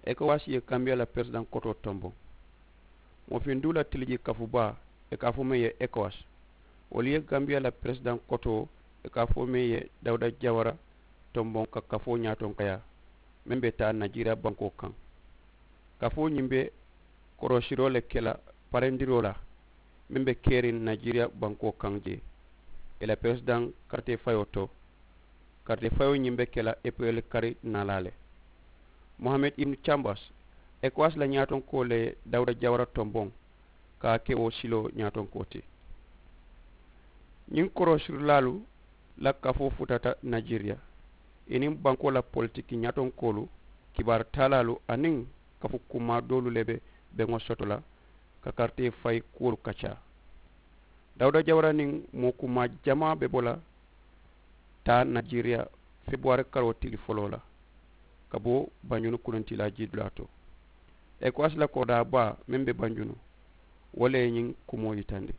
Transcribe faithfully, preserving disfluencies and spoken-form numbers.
Ekowas ye gambiya la peresidaŋ kotoo tomboŋ. Moo fiŋ duu la tiliji kafu baa, i ka a fo meŋ ye ekowas, wolu ye gambiya la peresidaŋ kotoo, i ka a fo meŋ ye dawuda jawara tomboŋ ka kafoo ñaatoŋ kayaa, meŋ be taa najeriya bankoo kaŋ. Kafoo ñiŋ be korosiroo le ke la parendiroo la, meŋ be keriŋ najeriya bankoo kaŋ jee, i la peresidaŋ karitee fayoo to. Karitee fayoo ñiŋ be ke la epirel kari naalaa le. Mohamed ibnu cambas, ekowas la ñaatonkoo le ye dawuda jawara tomboŋ, ka a ke wo siloo ñaatonkoo ti. Ñiŋ korosirilaalu la kafoo futata najeriya, i niŋ bankoo la politiki ñaatonkoolu, kibaari taalaalu aniŋ kafu kumaa doolu le be beŋo soto la ka karitee fayi kuwolu kaccaa. Dawuda jawara niŋ moo kumaa jamaa be bo la taa najeriya febuwaari karoo tili foloo la, ka bo banjunu kununtilaa jidulaa to. Ekowas la koodaa baa meŋ be banjunu, wo le ye ñiŋ kumoo yitandi.